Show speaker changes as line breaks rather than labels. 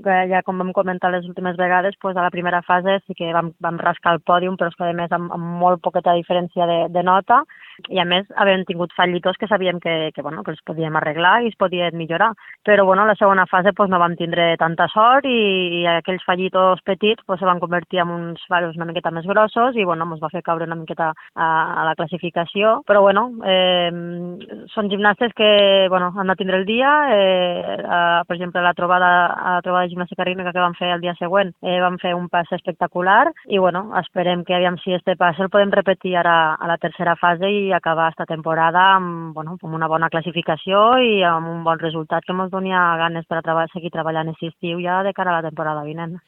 ja com vam comentar les últimes vegades, doncs a la primera fase sí que vam rascar el pòdium, però és que a més amb molt poqueta diferència de nota, i a més havent tingut fallitos que sabíem que els podíem arreglar i es podien millorar. Però a la segona fase no vam tindre tanta sort i aquells fallitos petits se van convertir en uns fallos una miqueta més grossos i ens va fer caure una miqueta a la classificació. Però són gimnastes que han de tindre el dia. Per exemple, a la trobada de gimnàstica rítmica que vam fer el dia següent vam fer un pas espectacular i esperem que aviam si este pas el podem repetir ara a la tercera fase i acabar esta temporada amb una bona classificació i amb un bon resultat que ens doni ganes per seguir treballant aquest estiu ja de cara a la temporada vinent.